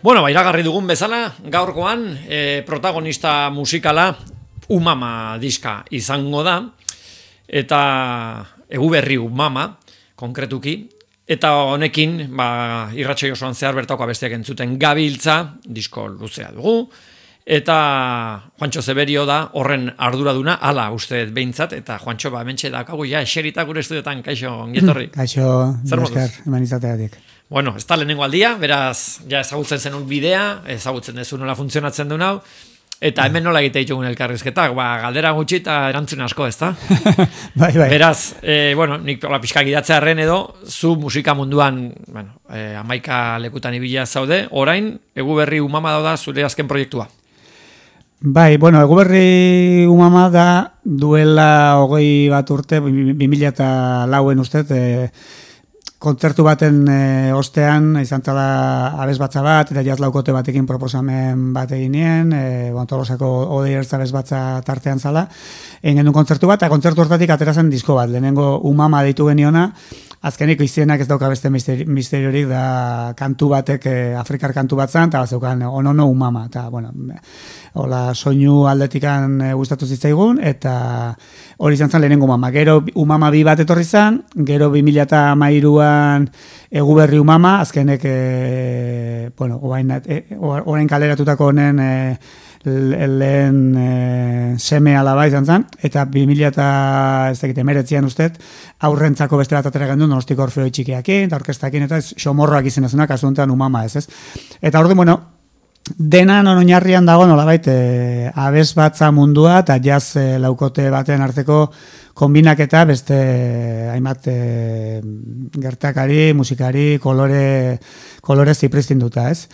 Bueno, iragarri dugun bezala, gaurkoan protagonista musikala Umama diska izango da, eta Eguberri Umama, konkretuki, eta honekin, irratsaio osoan zehar bertako abesteak entzuten gabiltza, disko luzea dugu, eta Juantxo Zeberio da horren arduraduna, hala uste behintzat, eta Juantxo hementxe dakagu eseritak gure estudiotan, kaixo, ongetorri. Kaixo, esker, eman izateatik. Bueno, ez da lehenengo aldia, beraz, ezagutzen zenun bidea, ezagutzen dezu nola funtzionatzen duen hau, eta hemen nola egite ditugun elkarrizketak, galdera gutxi eta erantzun asko, ez da? Bai. Beraz, nik pixka gidatzearen edo, zu musika munduan, 11 lekutan ibila zaude, orain, Eguberri Umama da zure azken proiektua. Bai, Eguberri Umama da duela 21 urte, 2004 ustez, kontzertu baten ostean, izan zala abesbatza bat, eta jaz laukote batekin proposamen bat egin nien, Tolosako Odei Ertz abesbatza tartean zala, egin genuen kontzertu bat, eta kontzertu hortatik atera zen disko bat, lehenengo Umama deitu geniona, azkeniko izenak ez dauka beste misteriorik, da kantu batek, Afrikar kantu bat zan, eta bazeukan onono Umama, eta, hola, soinu aldetikan gustatu zitzaigun, eta hori izan zen lehenengo Umama. Gero Umama 2 bat etorri zen, gero 2013an Eguberri Umama, azkenek, orain kaleratutako honen lehen seme alaba izan zen, eta 2019an ustez, aurrentzako beste bat atera gendu, Donostiko Orfeoi Txikiakin, eta orkestakin, eta xomorroak izenezunak, kasu honetan Umama ez. Eta orduan, denan oinarrian dago nolabait abesbatza mundua eta jazz laukote baten arteko konbinaketa beste hainbat gertakari, musikari, kolore zipristinduta, ez?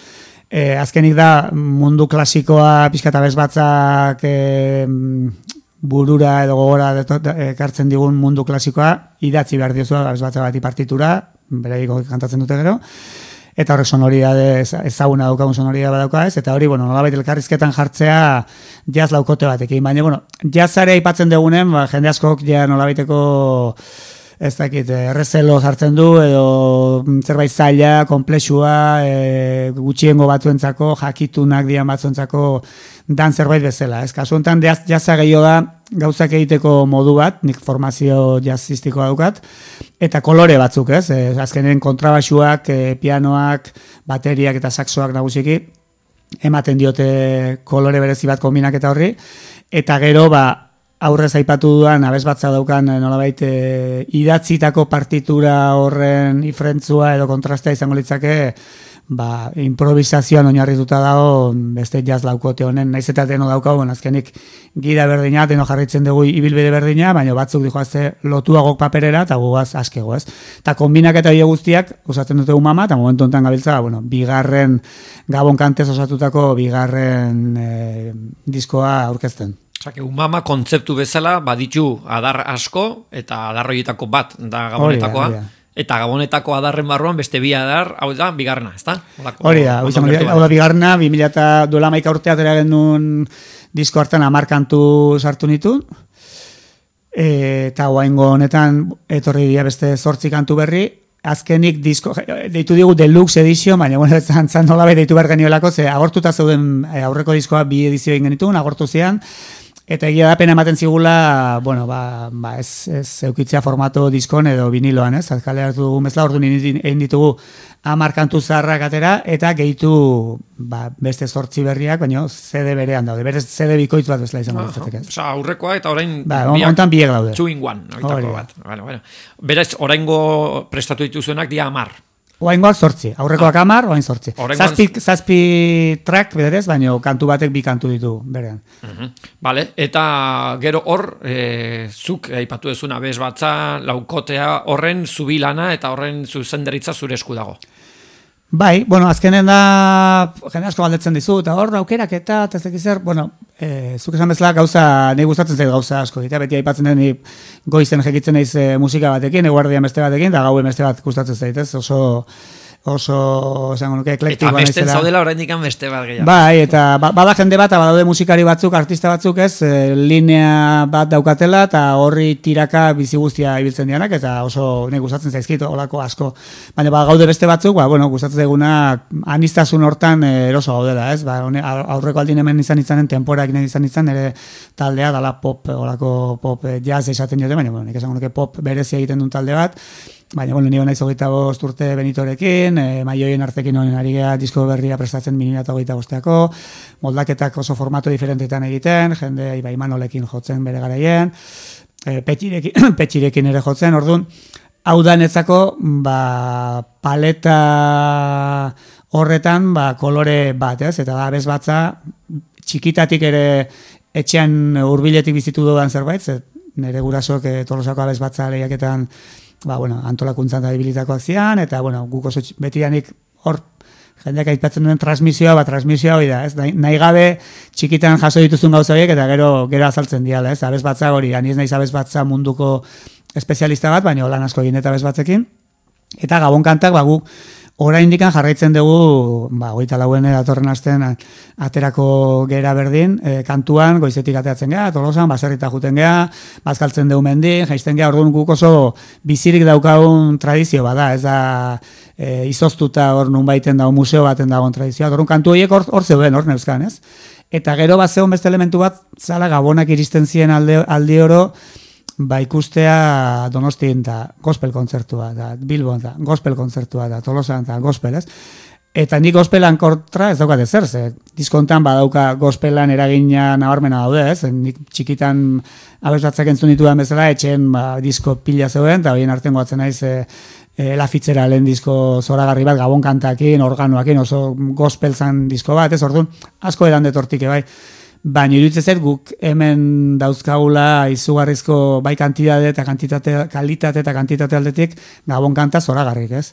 Azkenik da mundu klasikoa pixka eta abesbatzak burura edo gogora ekartzen digun mundu klasikoa idatzi behar diozu abesbatza bati partitura, beraiko kantatzen dute gero, eta horrek sonoridade ezaguna daukagun sonoridade badauka ez, eta hori, nolabait elkarrizketan jartzea jazz laukote batekin, baina, jazzare aipatzen dugunen, jende askok nolabaiteko ez dakit, errezelo jartzen du, edo zerbait zaila, komplexua, gutxiengo batzuentzako, jakitunak dian batzuentzako dan zerbait bezala. Ez kasu honetan, jazza gehiago da, gauzak egiteko modu bat, nik formazio jazzistikoa daukat, eta kolore batzuk, ez? Azkenen kontrabaxuak, pianoak, bateriak eta saxoak nagusiki, ematen diote kolore berezi bat konbinak eta horri, eta gero, aurrez aipatu duan, abesbatza daukan nolabait idatzitako partitura horren ifrentzua edo kontrastea izango litzake, improvisazioan oinarrituta dago beste jazz laukote honen, naiz eta deno daukagu, azkenik gida berdina, deno jarraitzen dugu ibilbide berdina, baina batzuk dijoazte lotuagok paperera, eta gugaz askego, ez? Eta konbinak eta hile guztiak, usatzen dute Umama, eta momentu honetan gabiltza, bigarren Gabon kantez osatutako bigarren diskoa aurkezten. Umama kontzeptu bezala baditu adar asko, eta adar horietako bat da Gabonetakoa, eta Gabonetako adarren barruan beste bi adar, hau da, bigarrena, ez da? Hori da, hau da bigarrena, 2011 urtea atera genuen disko hartan 10 kantu sartu nituen, eta oraingo honetan etorri dira beste 8 kantu berri, azkenik disko, deitu digu deluxe edizio, baina zan nolabait deitu behar geniolako, ze agortuta zeuden aurreko diskoa 2 edizio egin genituen, agortu zian, eta egia da pena ematen zigula, ez eukitzea formato diskon edo viniloan, ez? Azkale hartu dugun bezala, orduan egin ditugu 10 kantu zaharrak atera, eta gehitu beste 8 berriak, baina CD berean daude, berez CD bikoitz bat bezala izango ditzatek, ez? Aurrekoa eta orain hontan biek daude. 2 in 1, bat. Berez, oraingo prestatu dituzuenak dia 10. Oaingoak 8, aurrekoak 10, oain 8. Zazpi track bederez, baina kantu batek 2 kantu ditu berean. Vale, eta gero hor, zuk aipatu duzun abesbatza, laukotea horren zubilana eta horren zuzendaritza zure esku dago. Bai, azkenen da, jende asko galdetzen dizu, eta hor aukerak eta tezek izer, zuk esan bezala gauza, nahi gustatzen zait gauza asko, eta beti aipatzen den goizen jekitzen naiz musika batekin, eguardian beste batekin, eta gauen beste bat gustatzen zait, ez? Oso oso esango nuke eklektikoa naizela. Eta besten zaudela oraindik beste bat gehiago. Bai, eta bada jende bat, badaude musikari batzuk, artista batzuk ez, linea bat daukatela, eta horri tiraka bizi guztia ibiltzen dianak, eta oso nik gustatzen zaizkit, olako asko. Baina gaude beste batzuk, gustatzen eguna aniztasun hortan eroso gaudela, ez? Aurreko aldin hemen izanen temporak izan ere taldea, dala pop, olako pop jazz esaten jote, baina, nik esango nuke pop berezia egiten duen talde bat, baina, nire naiz 25 urte Benitorekin, Maioien Artekin honen ari geha disko berria prestatzen 2025ako, moldaketak oso formato diferentetan egiten, jende Ibai Manolekin jotzen bere garaien, petxirekin ere jotzen, orduan, hau da netzako, paleta horretan, kolore bat, ez? Eta da, bezbatza, txikitatik ere etxean hurbiletik bizitu dudan zerbait, nire gurasok Tolosako abezbatza lehiaketan antolakuntzan da ibilitakoak zian, eta guk oso betidanik hor jendeak aipatzen duen transmisioa hori da, ez? Nahi gabe txikitan jaso dituzun gauza horiek, eta gero azaltzen diala, ez? Abezbatza hori, ani ez naiz abezbatza munduko espezialista bat, baina lan asko egin eta abezbatzekin, eta Gabon kantak, guk oraindikan jarraitzen dugu, 24 datorren astean aterako gera berdin, kantuan goizetik ateatzen gea, Tolosan, baserrita juten gea, bazkaltzen dugu mendin, jaisten gea, orduan guk oso bizirik daukagun tradizio bada, ez da izoztuta hor nun baiten dago museo baten dagoen tradizioa, orduan kantu horiek hor zeuden, hor neuzkan, ez? Eta gero bat zegoen beste elementu bat, zala Gabonak iristen ziren aldi oro, ikustea Donostien da gospel kontzertua, da Bilbon da gospel kontzertua, da Tolosan da gospel, ez? Eta nik gospelan kontra ez daukat ezer, ze diskontan badauka gospelan eragina nabarmena daude, ez? Nik txikitan abesbatzak entzun ditudan bezala, etxen disko pila zeuden, eta horien artean goatzen naiz La Fitzgeralden disko zoragarri bat, Gabon kantakin, organoakin, oso gospel zan disko bat, ez? Orduan, asko edan detortik, bai. Baina iruditzen zait guk hemen dauzkagula izugarrizko bai kalitate eta kantitate aldetik Gabon kanta zoragarrik, ez?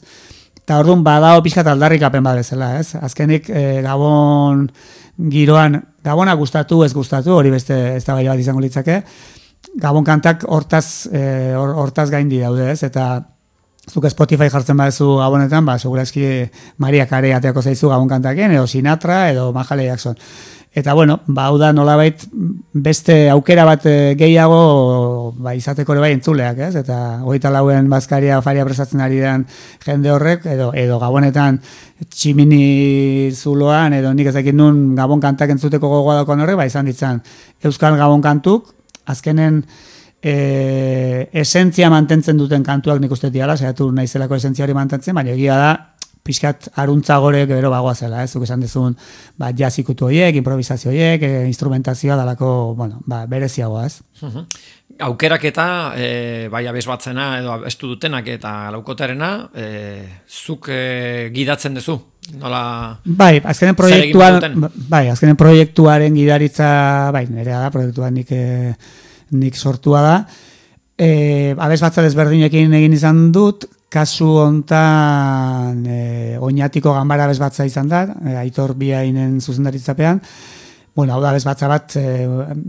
Eta orduan badao pixkat aldarrikapen bat bezala, ez? Azkenik Gabon giroan, Gabona gustatu, ez gustatu, hori beste eztabaida bat izango litzake, Gabon kantak hortaz gaindi daude, ez? Eta zuk Spotify jartzen badezu Gabonetan, segurazki Maria Carey ateako zaizu Gabon kantaken, edo Sinatra, edo Mahalia Jackson. Eta hau da nolabait beste aukera bat gehiago izateko ere bai entzuleak, ez? Eta 24en bazkaria afaria prestatzen ari den jende horrek, edo Gabonetan tximini zuloan, edo nik ezakit nun Gabon kantak entzuteko gogoa dagoen horrek, izan ditzan Euskal Gabon kantuk, azkenen esentzia mantentzen duten kantuak nik uste diala, saiatu naizelako esentzia hori mantentzen, baina egia da, pixkat aruntza gore gero bagoa zela, ez? Zuk esan dezun, jazz ikutu horiek, improvisazio horiek, instrumentazioa dalako, bereziagoa, ez? Aukeraketa, bai abesbatzena edo abestu dutenak eta laukotarena, zuk gidatzen duzu? Nola... Bai, azkenen proiektuaren gidaritza, nerea da, proiektuan nik sortua da. Abesbatza desberdinekin egin izan dut, kasu hontan oinatiko ganbara abesbatza izan da, Aitor Biainen zuzendaritzapean. Hau da abesbatza bat,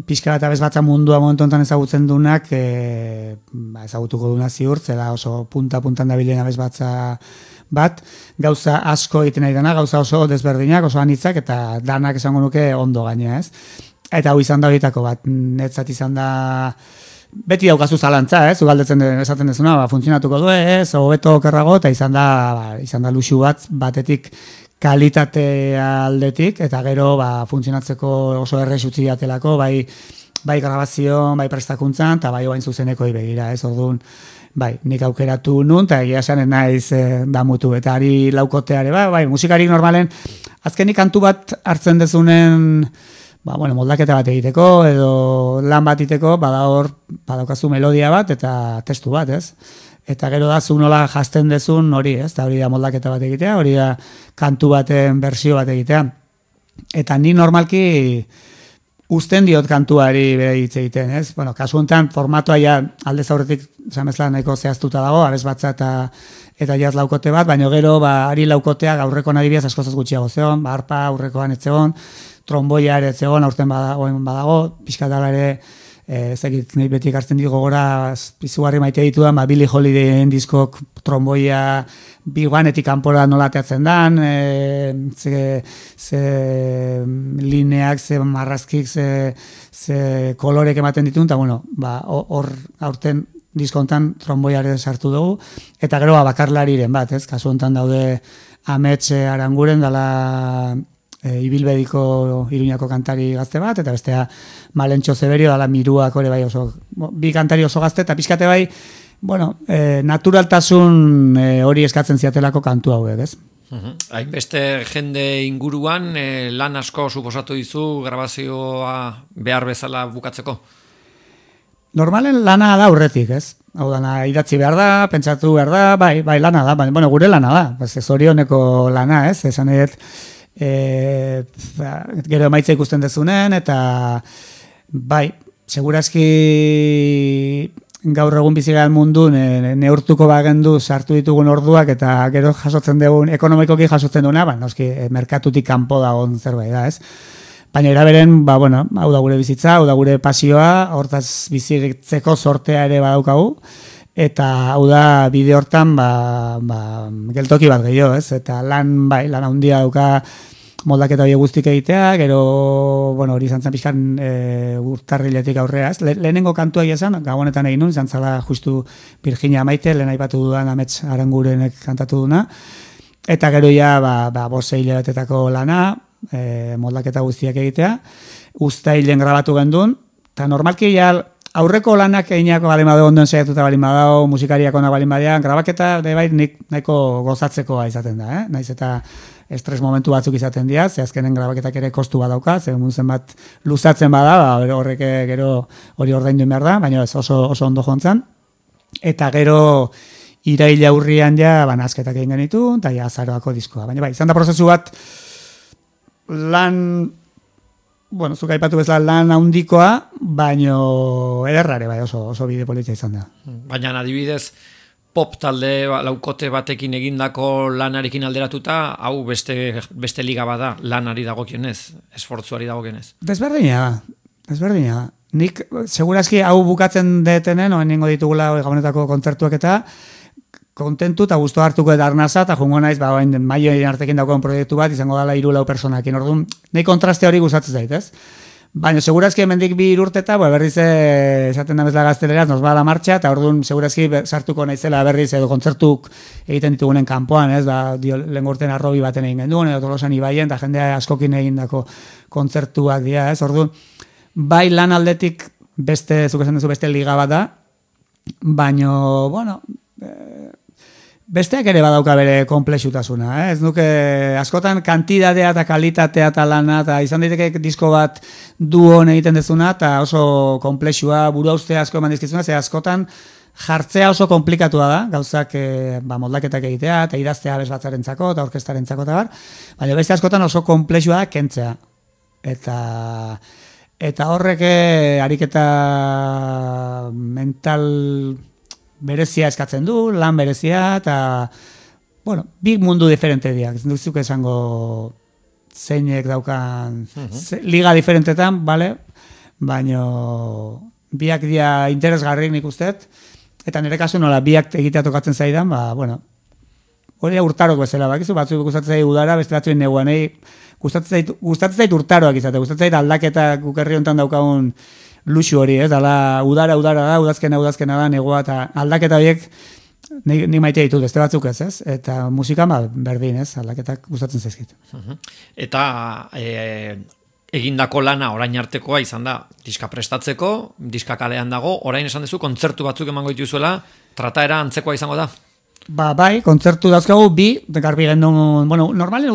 pixka bat abesbatza mundua momentu honetan ezagutzen duenak, ezagutuko duna ziur, zela oso punta-puntan dabilen abesbatza bat, gauza asko egiten nahi dena, gauza oso desberdinak, oso anitzak, eta danak esango nuke ondo gaina, ez? Eta hau izan da horietako bat, netzat izan da... Beti daukazu zalantza, zugaldetzen esaten dezuna, funtzionatuko du, hobeto okerrago, eta izan da luxu batetik kalitate aldetik, eta gero funtzionatzeko oso errex utzi diatelako, bai grabazio, bai prestakuntzan, eta bai oain zuzeneko begira, orduan, nik aukeratu nun, eta egia esan naiz damutu, eta ari laukoteare, musikarik normalen, azkenik kantu bat hartzen dezunen, moldaketa bat egiteko, edo lan bat egiteko, badaukazu melodia bat, eta testu bat, ez? Eta gero da, zu nola jazten dezun hori, ez? Eta hori da moldaketa bat egitea, hori da kantu baten bersio bat egitea. Eta ni normalki uzten diot kantuari bere hitz egiten, ez? Kasu honetan, formatoa ja aldez aurretik, zamezla nahiko zehaztuta dago, abesbatza eta jaz laukote bat, baina gero, ari laukotea aurrekoan adibidez askozaz gutxiago zegoen, arpa aurrekoan ez zegoen, tromboia ere zegoen aurten badago, pixkatala ere ezagik nahi beti ekartzen ditu gogora izugarri maite ditudan, Billie Holidayen diskok tromboia biguanetik kanpora nola ateatzen dan, ze lineak, ze marrazkik, ze kolorek ematen ditun, eta bueno, hor aurten diskontan tromboiare sartu dugu, eta gero bakarlariren bat, kasu hontan daude Amets Aranguren dala Ibilbediko Iruñako kantari gazte bat, eta bestea Malentxo Zeberio dala Miruak ore bai oso, bi kantari oso gazte, eta pixkate bai, bueno, naturaltasun hori eskatzen ziatelako kantu hauek, ez? Hainbeste jende inguruan, lan asko suposatu dizu grabazioa behar bezala bukatzeko? Normalen lana da aurretik, ez? Hau dana, idatzi behar da, pentsatu behar da, bai lana da, bueno, gure lana da, zorioneko lana, ez? Esan edet, gero emaitza ikusten dezunen, eta bai, segurazki gaur egun bizigean mundu neurtuko bagendu sartu ditugun orduak, eta gero jasotzen dugun, ekonomikoki jasotzen duguna, noski, merkatutik kanpo dagoen zerbait da, ez? Baina eraberen, bueno, hau da gure bizitza, hau da gure pasioa, hortaz bizitzeko sortea ere badaukagu, eta hau da bide hortan, geltoki bat gehiago, ez? Eta lan handia dauka moldaketa hori guztik egitea, gero, bueno, hori izan zen pixkan urtarriletik aurrea, ez? Lehenengo kantua esan, gabonetan egin nun, izan zala justu Virginia Maite, lehen aipatu dudan Amets Arangurenek kantatu duna, eta gero ja, bose hilabetetako lana, moldaketa guztiak egitea, uztailen grabatu gendun, eta normalki ja aurreko lanak eginako balin badao, ondoen saiatuta balin badao, musikariak onak balin badean, grabaketa bai nik nahiko gozatzekoa izaten da, naiz eta estres momentu batzuk izaten dira, ze azkenen grabaketak ere kostu badauka, ze muntzen bat luzatzen bada, horrek gero hori ordaindu behar da, baina ez oso ondo jontzan, eta gero iraila urrian ja, nazketak egin genitu, eta ja azaroako diskoa, baina bai, izan da prozesu bat, lan, bueno, zuk aipatu bezala lan handikoa, baino ederrare bai oso bide politia izan da. Baina adibidez, pop talde laukote batekin egindako lanarekin alderatuta, hau beste liga bada lanari dagokionez, esfortzuari dagokionez. Desberdina da. Nik, segurazki hau bukatzen detenen, oen ningo ditugula gabonetako kontzertuak eta, kontentu eta guztu hartuko eta arnaza, eta jungo naiz, maioen artekin dagoen proiektu bat, izango dala 4 personakin. Orduan, nahi kontraste hori gustatzen zait, ez? Baina, segurazki hemendik 2 urteta, berriz esaten da bezala gazteleraz, nos ba la martxa, eta orduan, segurazki sartuko naizela berriz edo kontzertuk egiten ditugunen kanpoan, ez? Lehen urten Arrobi baten egin genduen, edo Tolosan Ibaien, eta jendea askokin egindako kontzertuak dira, ez? Orduan, bai lan aldetik zuk esan duzu beste liga bat da, baina, bueno, besteak ere badauka bere komplexutasuna, ez nuke askotan kantidadea eta kalitatea eta lana, eta izan daiteke disko bat duon egiten dezuna, eta oso komplexua, burua uste asko eman dizkizuna, ze askotan jartzea oso komplikatua da, gauzak moldaketak egitea, eta idaztea bezbatzarentzako, eta orkestarentzako, eta bar, baina beste askotan oso komplexua da kentzea. Eta horrek ariketa mental berezia eskatzen du, lan berezia, eta, bueno, bi mundu diferente diak. Ez duzuk esango zeinek daukan liga diferentetan, bale? Baina biak dia interesgarrik nik usteet, eta nire kasu nola biak egitea tokatzen zaidan, bueno, hori urtarok bezala, bakizu, batzuk gustatzen zait udara, beste batzuen neguan, gustatzen zait urtaroak izate, gustatzen zait aldaketa gukerri honetan daukagun luxu hori, ez, dala udara da, udazkena da, negoa, eta aldaketa horiek ni maite ditut, beste batzuk ez, eta musika berdin, ez, aldaketak gustatzen zaizkit. Eta egindako lana orain artekoa izan da, diska prestatzeko, diska kalean dago, orain esan duzu, kontzertu batzuk emango dituzuela, trataera antzekoa izango da? Bai, kontzertu dauzkagu, garbi gendun, bueno, normalen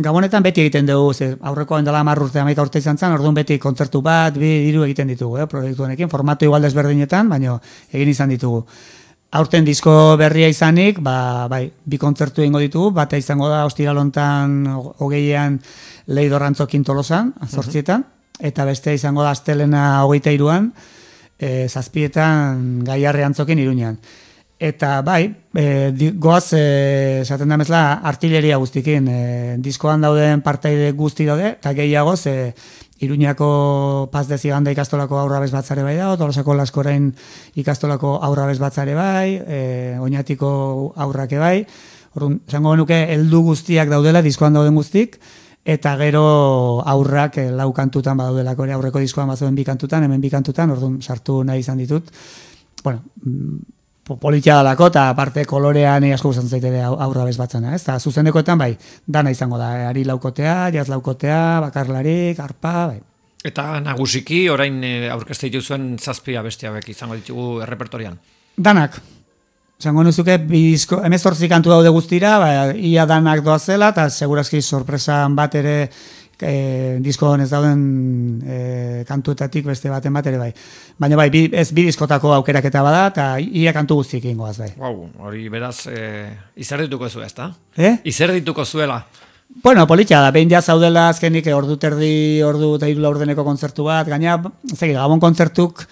gabonetan beti egiten dugu, aurrekoan dela 10 urte, 11 urte izan zen, orduan beti kontzertu bat, 2 egiten ditugu, proiektu honekin, formatu igual desberdinetan, baina egin izan ditugu. Aurten disko berria izanik, bai, 2 kontzertu egingo ditugu, bata izango da ostiralontan 20an Leidor Antzokin Tolosan, 8etan, eta beste izango da astelena 23an, 7etan Gaiarre Antzokin Iruñan. Eta bai, goaz, esaten da bezala, artilleria guztikin, diskoan dauden partaide guzti daude, eta gehiagoz, Iruñako Paz de Ziganda ikastolako aurrabez batzare bai dago, Tolosako Laskorain ikastolako aurrabez batzare bai, Oñatiko aurrake bai, orduan, esango genuke, heldu guztiak daudela, diskoan dauden guztik, eta gero aurrak lau kantutan badaudelako ere, aurreko diskoan bazoen 2 kantutan, hemen 2 kantutan, orduan sartu nahi izan ditut. Bueno, politia dalako, eta aparte kolorean asko gustatzen zait ere aurra bezbatzena, ez? Eta zuzenekoetan bai, dana izango da, ari laukotea, jaz laukotea, bakarlarik, arpa, bai. Eta nagusiki, orain aurkezte dituzuen 7 abesti hauek izango ditugu errepertorian. Danak. Zango nuzuke, 18 kantu daude guztira, ia danak doazela, eta segurazki sorpresan bat ere disko ez dauden kantuetatik beste baten bat ere bai. Baina bai, bi diskotako aukeraketa bada, eta ia kantu guztiek ingoaz bai. Wow, hori beraz, izer dituko zu ezta? Izer dituko zuela? Bueno, politxa da, behin zaudela azkenik ordu terdi, ordu eta 3 laurdeneko kontzertu bat, gaina, Gabon kontzertuk,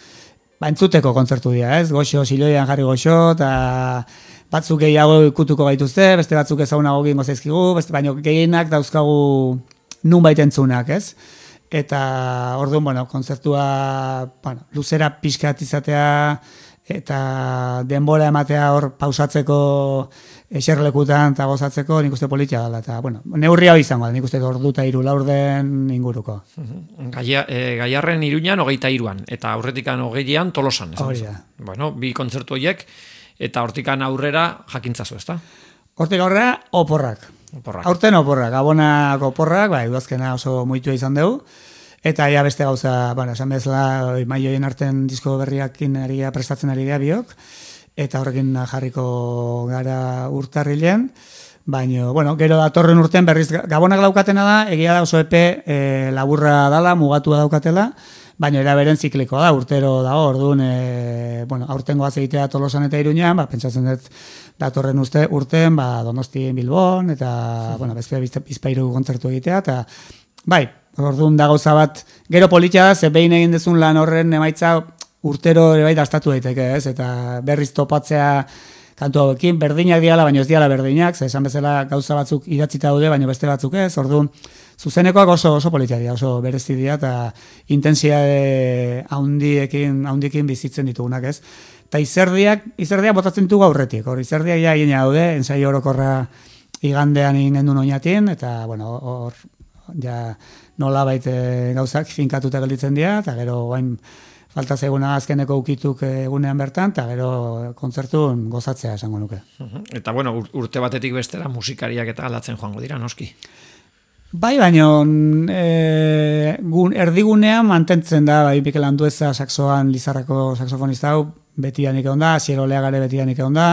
entzuteko kontzertu dira, ez? Goxo, siloian jarri goxo, eta batzuk gehiago ikutuko gaituzte, beste batzuk ezagunago gingo zaizkigu, baina gehienak dauzkagu nun baitentzunak, ez? Eta orduan, bueno, kontzertua luzera pixkat izatea eta denbora ematea hor pausatzeko eserlekutan eta gozatzeko nik uste politia dela. Eta, bueno, neurria hori izango da, nik uste ordu eta 3 laurden inguruko. Gaiarren Iruñan 23an, eta aurretikan 20an Tolosan. Hori da. Bueno, 2 kontzertu horiek, eta hortikan aurrera jakintzazu, ezta? Hortik aurrera, oporrak. Aurten oporrak, Gabonako oporrak, udazkena oso muitua izan dugu, eta ja beste gauza, esan bezala, maioien arten disko berriakin prestatzen ari gara biok, eta horrekin jarriko gara urtarrilean, baina, gero datorren urten berriz Gabonak daukatena da, egia da oso epe laburra dala, mugatua daukatela, baina era beren ziklikoa da, urtero dago, orduan, aurtengo egitea Tolosan eta Iruñan, pentsatzen dut datorren urten, Donostien Bilbon, eta, beste bizpairu kontzertu egitea, eta, bai, orduan da gauza bat, gero politia da, ze behin egin dezun lan horren emaitza urtero ere bai dastatu daiteke, ez, eta berriz topatzea kantu hauekin, berdinak diala, baina ez diala berdinak, ze esan bezala gauza batzuk idatzita daude, baina beste batzuk ez, orduan, zuzenekoak oso politia dira, oso berezi dira, eta intensiade haundiekin bizitzen ditugunak, ez. Eta izerdiak botatzen ditugu aurretik, hor izerdiak ja egin daude, ensaio orokorra igandean egin gendun oinatin, eta, hor, ja, nola baite gauzak finkatuta gelditzen dira, eta gero, falta zaiguna azkeneko ukituk egunean bertan, eta gero kontzertun gozatzea esango nuke. Eta, urte batetik bestera musikariak eta aldatzen joango dira, noski? Bai, baina erdigunean mantentzen da, Mikel Andueza saxoan Lizarrako saxofonista hau, betianik egon da, Asier Oleagare betianik egon da,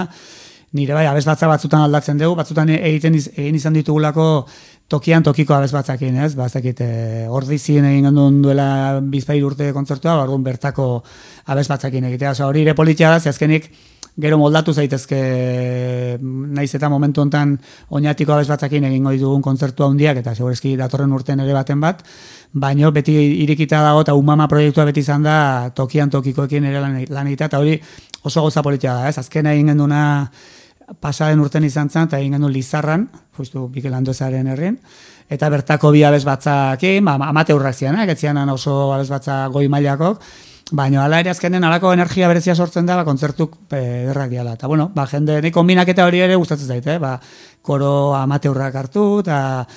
nire bai, abesbatza batzutan aldatzen dugu, batzutan egin izan ditugulako tokian tokiko abesbatzakin, ez? Bazakit, ordizien egin gendun duela bizpairu urte kontzertua, orduan bertako abesbatzakin egitea. Hori ere politia da, azkenik gero moldatu zaitezke naiz eta momentu hontan oinatiko abesbatzakin egingo ditugun kontzertua handiak, eta segurezki datorren urten ere baten bat, baina beti irikita dago, eta Umama proiektua beti izan da tokian tokikoekin ere lan egitea, eta hori oso gauza politia da, ez? Azkena egin genduna pasaden urten izan zen, eta egin gendu Lizarran, justu Mikel Anduezaren herrin, eta bertako bi abesbatzakin, amateurrak zianak, etzianan oso abesbatza goi mailakok, baina ala ere azkenen alako energia berezia sortzen da, kontzertuk derrak diala. Eta, jende, nik kombinaketa hori ere gustatzen zaite, koro amateurrak hartu, eta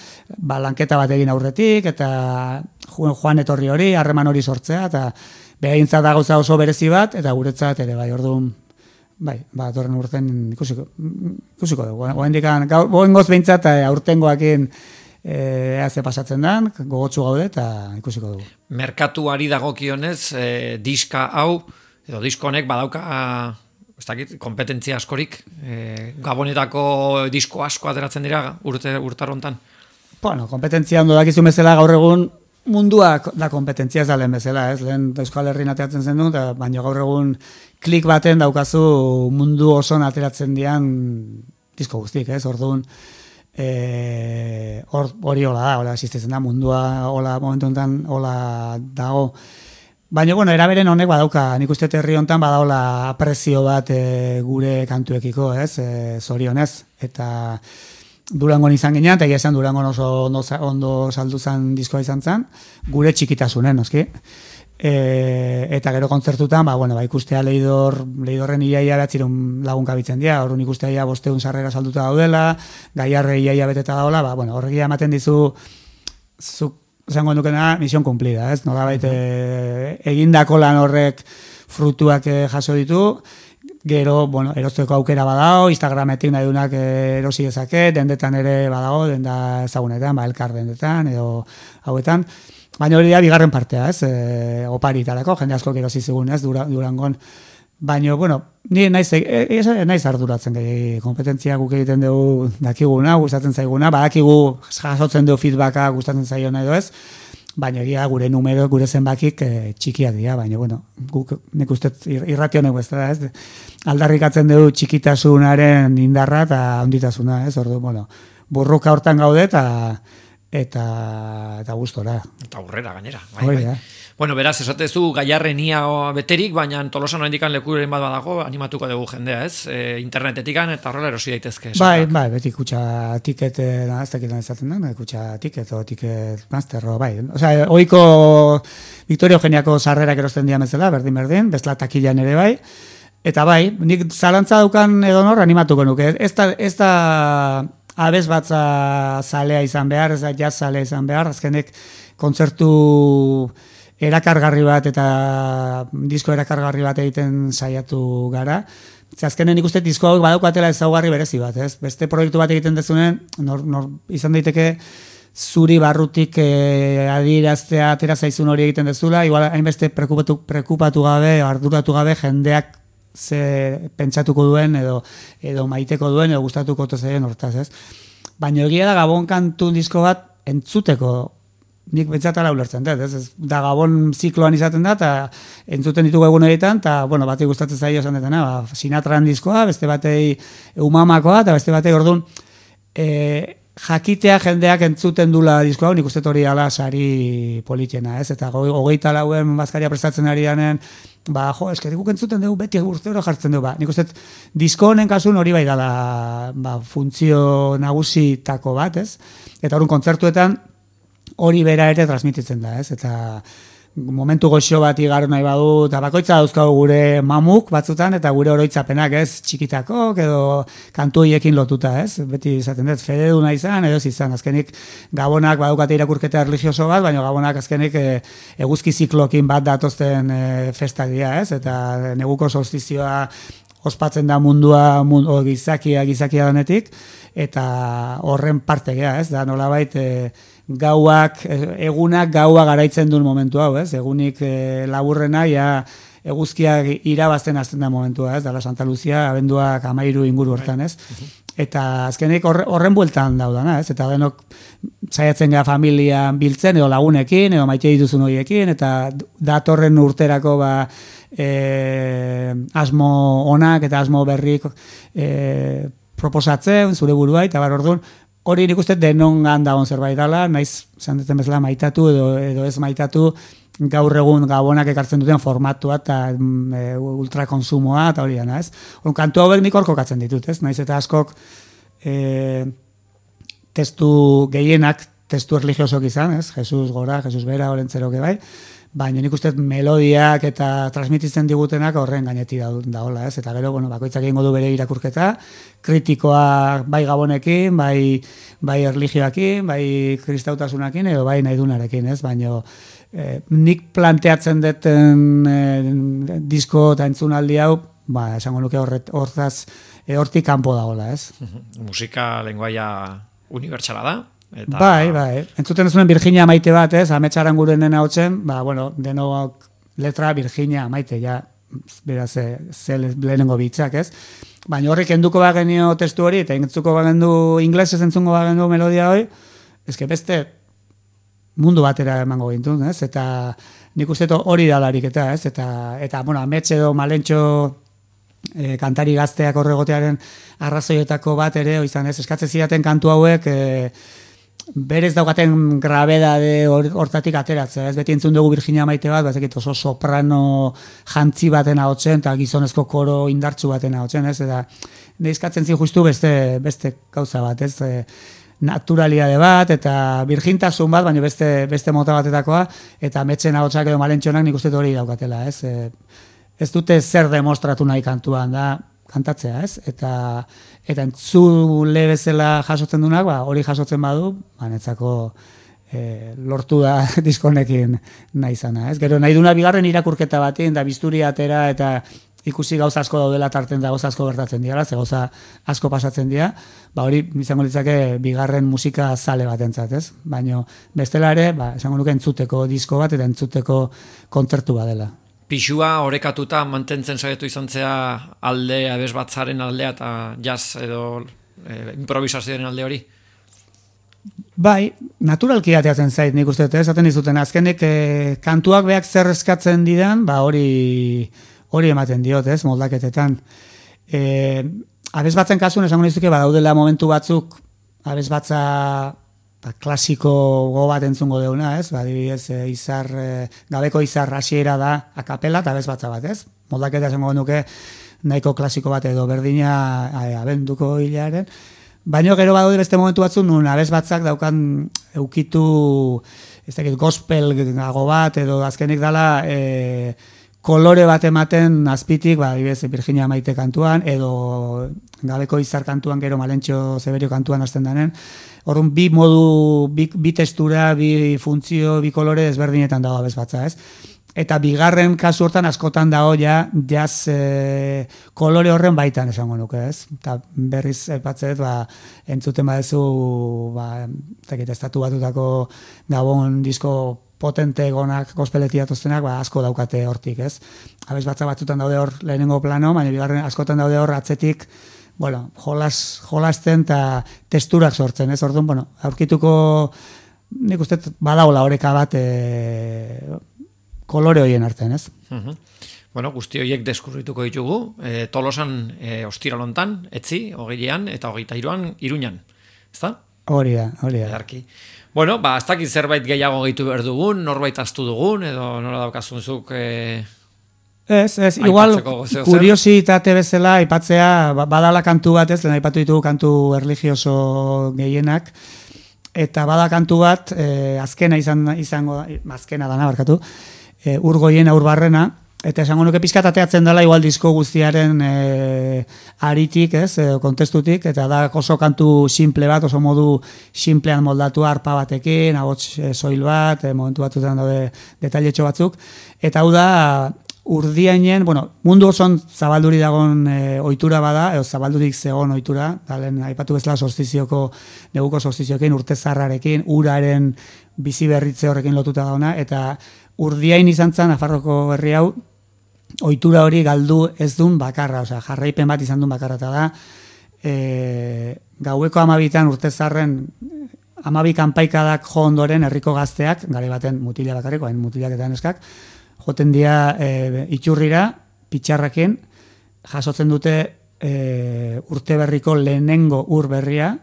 lanketa bat egin aurretik, eta joan etorri hori, harreman hori sortzea, eta behaintzat da gauza oso berezi bat, eta guretzat ere, orduan, torren urten ikusiko dugu. Goengoz behintzat aurtengoakin ze pasatzen den, gogotsu gaude eta ikusiko dugu. Merkatuari dagokionez, diska hau, edo disko honek badauka, ez dakit, kompetentzia askorik, Gabonetako disko asko ateratzen dira urtarrontan? Kompetentzia ondo dakizu bezala gaur egun munduak da kompetentzia ez da lehen bezala, ez? Lehen Euskal Herrin ateratzen zen du, baina gaur egun klik baten daukazu mundu oson ateratzen dian disko guztik, ez? Orduan, hori hola da, hola existitzen da, mundua hola momentu enten hola dago. Baina, bueno, eraberen honek badauka, nik uste herri hontan badaola aprezio bat gure kantuekiko, ez, zorionez, eta Durangon izan ginean, eta egia esan Durangon oso ondo saldu zen diskoa izan zen, gure txikitasunen, noski. Eta gero kontzertutan, ikustea Leidorren iaia behatziron lagun kabitzen dira, horren ikustea ia 500 sarrera salduta daudela, Gaiarre iaia beteta daula, horregia ematen dizu, zuk esango dukena, misión cumplida, ez? Nolabait egindako lan horrek frutuak jaso ditu, gero, erosteko aukera badao, Instagrametik nahi dunak erosi dezake, dendetan ere badago, denda ezagunetan, elkar dendetan, edo hauetan, baina hori da bigarren partea, ez? Oparitarako, jende asko erosi zigun, ez? Durangon. Baina, ni naiz arduratzen gehi, kompetentzia guk egiten dugu dakiguna, gustatzen zaiguna, badakigu jasotzen dugu feedbacka gustatzen zaiona edo ez, baina egia gure numero, gure zenbakik txikiak dira, baina, guk nik uste irrati honek bezala, ez? Aldarrikatzen dugu txikitasunaren indarra eta onditasuna, ez? Ordu, burruka hortan gaude eta gustora. Eta aurrera gainera. Bai. Bueno, beraz, esatezu Gaiarren ia beterik, baina Tolosan oraindikan lekuren bat badago, animatuko dugu jendea, ez? Internetetikan eta horrela erosi daitezke. Bai, beti kutxa tiket, ez dakit izaten da, kutxa tiket o tiket master, bai. Osea, oiko Victoria Eugeniako sarrerak erosten dira bezala, berdin, bezala takilan ere bai. Eta bai, nik zalantza daukan edonor animatuko nuke. Ez da abez batza zalea izan behar, ez da jazz zalea izan behar, azkenek kontzertu erakargarri bat eta disko erakargarri bat egiten saiatu gara. Azkenen ikuste disko hauek badaukatela ezaugarri berezi bat, ez? Beste proiektu bat egiten dezunen, izan daiteke zuri barrutik adieraztea atera zaizun hori egiten dezula, igual hainbeste preokupatu gabe, arduratu gabe jendeak ze pentsatuko duen edo maiteko duen edo gustatuko zaien hortaz, ez? Baina egia da Gabon kantu disko bat entzuteko nik bentsatala ulertzen dut, ez? Da Gabon zikloan izaten da, eta entzuten ditugu egun egiten, eta, batei gustatzen zaio esan detena, Sinatran diskoa, beste batei Umamakoa, eta beste batei orduan, jakitea jendeak entzuten dula diskoa, nik uste hori ala sari politiena, ez? Eta 24 bazkaria prestatzen ari danen, eskerik guk entzuten dugu, beti urtero jartzen dugu, nik uste disko honen kasun hori bai dala funtzio nagusitako bat, ez? Eta orduan kontzertuetan, hori bera ere transmititzen da, ez? Eta momentu goxo bat igaro nahi badu, eta bakoitza dauzkagu gure mamuk batzutan, eta gure oroitzapenak, ez? Txikitakok edo kantu horiekin lotuta, ez? Beti izaten dut, fededuna izan, edo izan, azkenik Gabonak badukate irakurketa religioso bat, baina Gabonak azkenik eguzki ziklokin bat datozten festak dira, ez? Eta neguko solstizioa ospatzen da mundua, gizakia denetik, eta horren parte gea, ez? Da nolabait egunak gaua garaitzen duen momentu hau, ez? Egunik laburrena, eguzkiak irabazten hasten da momentua, ez? Dala Santa Lucia, abenduak 13 inguru hortan, ez? Eta azkenik horren bueltan daudana, ez? Eta denok saiatzen gara familian biltzen, edo lagunekin, edo maite dituzun horiekin, eta datorren urterako asmo onak eta asmo berrik proposatzen, zure buruai, eta orduan, hori nik uste denongan dagoen zerbait dela, naiz, esan duten bezala, maitatu edo ez maitatu, gaur egun Gabonak ekartzen duten formatua eta ultrakonsumoa, eta hori dena, ez? Kantu hauek nik orkokatzen ditut, ez? Naiz eta askok testu gehienak, testu erligiosok izan, ez? Jesus gora, Jesus bera, horrentzeroke bai, baina nik uste melodiak eta transmititzen digutenak horren gaineti daola, ez? Eta gero, bakoitzak egingo du bere irakurketa, kritikoa bai Gabonekin, bai erligioakin, bai kristautasunakin, edo bai nahidunarekin, ez? Baina nik planteatzen duten disko eta entzunaldi hau, esango nuke hortik kanpo dagoela, ez? Musika lenguaia unibertsala da? Eta... Bai. Entzuten ez Virginia Maite bat, ez? Ametsaran gurenen hautzen, denok letra Virginia Maite, beraz, lehenengo bitzak, ez? Baina horrik enduko bagenio testu hori, eta entzuko bagendu inglesez entzungo bagendu melodia hori, ezke beste mundu batera emango gintun, ez? Eta nik uste hori dalarik eta, ez? Eta Amets edo Malentxo kantari gazteak horregotearen arrazoietako bat ere, izan ez, eskatzen zidaten kantu hauek berez daukaten grabedade hortatik ateratzea, ez beti entzun dugu Virginia Maite bat, bazekit oso soprano jantzi baten ahotsen, eta gizonezko koro indartsu baten ahotsen, ez, eta neizkatzen zin justu beste gauza bat, ez, naturaliade bat, eta birjintasun bat, baina beste mota batetakoa, eta metzen ahotsak edo malentxonak nik uste hori daukatela, ez, ez dute zer demostratu nahi kantuan, da, kantatzea, ez? Eta entzule bezala jasotzen dunak, hori jasotzen badu, netzako lortu da diskonekin nahi zana, ez? Gero nahi duna bigarren irakurketa batin, da bisturi atera, eta ikusi gauza asko daudela tarten da gauza asko gertatzen dira, ze gauza asko pasatzen dira, hori izango litzake bigarren musika zale batentzat, ez? Baina bestela ere, esango nuke entzuteko disko bat, eta entzuteko kontzertu badela. Pixua orekatuta mantentzen saiatu izan zea alde abesbatzaren aldea eta jazz edo improvisazioaren alde hori? Bai, naturalki ateatzen zait nik uste, esaten dizuten azkenek kantuak beak zer eskatzen didan, hori ematen diot, ez, moldaketetan. Abesbatzen kasun esango nizuke badaudela momentu batzuk abesbatza klasiko go bat entzungo deuna, ez? Adibidez, gabeko izar hasiera da akapela eta abesbatza bat, ez? Moldaketa esango nuke nahiko klasiko bat edo berdina abenduko hilaren. Baina gero badaude beste momentu batzuk nun abesbatzak daukan eukitu gospel gago bat edo azkenik dala kolore bat ematen azpitik, adibidez, Virginia Maite kantuan edo gabeko izar kantuan gero Malentxo Zeberio kantuan hasten denen. Orrun bi modu, bi testura, bi funtzio, bi kolore desberdinetan dago abesbatza, ez? Eta bigarren kasu hortan askotan dago ja jazz kolore horren baitan esango nuke, ez? Eta berriz aipatzet, entzuten badezu, estatu batutako Gabon disko potente gonak gospeletia toztenak, asko daukate hortik, ez? Abesbatza batzutan daude hor lehenengo plano, baina bigarren askotan daude hor atzetik, jolasten eta testurak sortzen, ez? Orduan, aurkituko, nik uste badaula oreka bat kolore horien artean, ez? Guzti horiek deskubrituko ditugu, Tolosan ostiralontan, etzi, 20an eta 23an Iruñan, ezta? Hori da. Edarki. Ez dakit zerbait gehiago gehitu behar dugun, norbait aztu dugun, edo nola daukazunzuk... Ez, igual kuriositate bezala aipatzea badala kantu bat, ez, lehen aipatu ditugu kantu erlijioso gehienak, eta bada kantu bat, azkena dana barkatu, Urgoien Urbarrena, eta esango nuke pixkat ateatzen dela igual disko guztiaren aritik, ez, kontestutik, eta da oso kantu simple bat, oso modu simplean moldatu arpa batekin, ahots soil bat, momentu batutan daude detailetxo batzuk, eta hau da Urdiainen, mundu oson zabalduri dagoen ohitura bada, edo zabaldurik zegoen ohitura, dalen aipatu bezala neguko solstizioekin, urte zarrarekin, uraren bizi berritze horrekin lotuta dauna, eta Urdiain izan zen, Nafarroko herri hau, ohitura hori galdu ez duen bakarra, jarraipen bat izan duen bakarra, eta da, gaueko 12 urte zarren 12 kanpaikadak jo ondoren herriko gazteak, gare baten mutila bakarriko, hain mutilak eta neskak, joten dira itxurrira, pitxarrakin, jasotzen dute urte berriko lehenengo ur berria,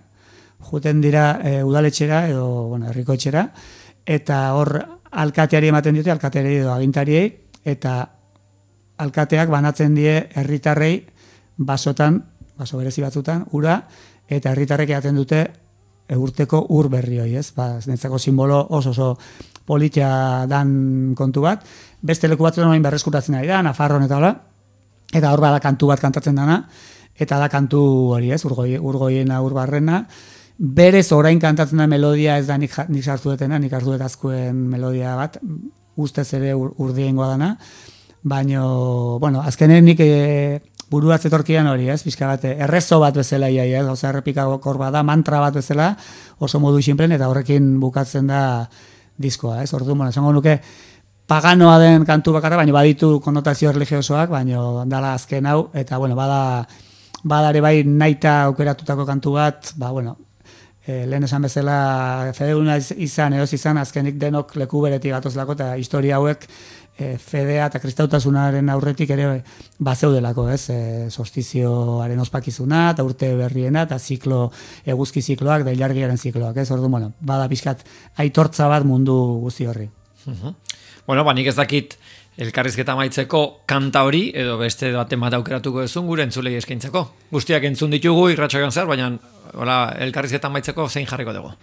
joten dira udaletxera edo herriko etxera, eta hor alkateari ematen dute, alkateari edo agintariei, eta alkateak banatzen die herritarrei basotan, baso berezi batzutan, ura, eta herritarrek eaten dute urteko ur berri hori, ez? Netzako simbolo oso politia dan kontu bat, beste leku batzutan orain berreskuratzen ari da, Nafarroan eta hola, eta hor bada kantu bat kantatzen dana, eta da kantu hori, ez? Urgoiena Urbarrena, berez orain kantatzen da melodia ez da nik sartu detena, nik hartu detazkoen melodia bat, ustez ere urdiengoa dana, baina, azkenen nik buruaz etorkian hori, ez? Pixka bat, errezo bat bezala ia, ez? Oza, errepikakor bada, mantra bat bezala, oso modu sinplen, eta horrekin bukatzen da diskoa, ez? Orduan, esango nuke, paganoa den kantu bakarra, baina baditu konotazio religiosoak, baina dala azken hau, eta, bada ere bai naita aukeratutako kantu bat, lehen esan bezala fededuna izan, edoz izan, azkenik denok leku beretik gatozlako, eta historia hauek fedea eta kristautasunaren aurretik ere bazeudelako, ez? Solstizioaren ospakizuna, eta urte berriena, eta eguzki zikloak, da ilargiaren zikloak, ez? Orduan, bueno, bada pixkat aitortza bat mundu guzti horri. Bueno, nik ez dakit elkarrizketa amaitzeko kanta hori, edo beste baten bat aukeratuko duzun gure entzulei eskaintzeko. Guztiak entzun ditugu irratsaioan zer, baina elkarrizketa amaitzeko zein jarriko dugu.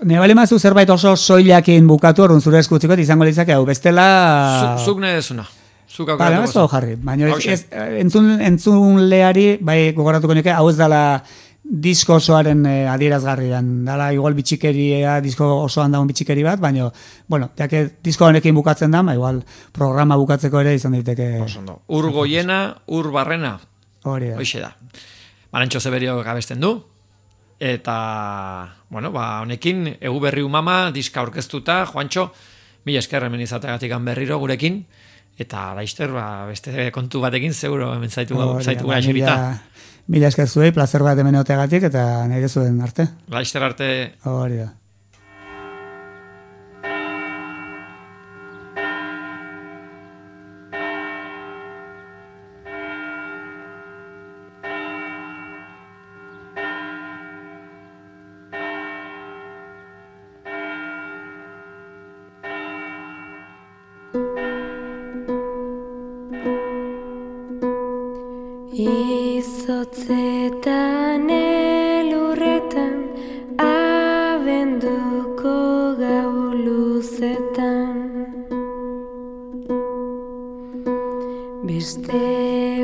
Ne bali mazu zerbait oso soilakin bukatu, orduan zure eskutziko, izango litzake hau, bestela... Zuk nahi dezuna. Zuk aukeratuko duzun. Jarri, baina entzun leari, bai gogoratuko nike, hau ez dala disko osoaren adierazgarri dan. Dala igual bitxikeria, disko osoan daun bitxikeri bat, baina, bueno, jake disko honekin bukatzen da, igual programa bukatzeko ere izan daiteke... Ur goiena, ur barrena. Hori da. Hoxe da. Marantxo Zeberio gabesten du. Eta, bueno, honekin, egu berri umama, diska orkestuta, Juantxo, mila esker hemen izateagatik berriro gurekin, eta laizter, beste kontu batekin, seguro hemen zaitu gara xerita. Mila esker zuei, placer bat hemen oteagatik, eta nahi zuen arte. Laizter arte. Hori da. Izotzetan elurretan, abenduko gau luzetan, beste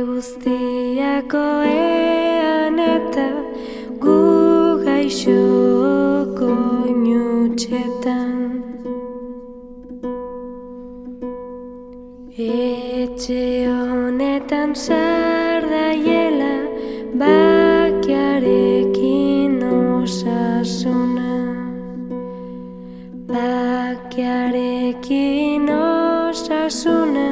guztiako ean eta gu gaixoko inutxetan. Etxe honetan sardaiela, bakiarekin osasuna, bakiarekin osasuna,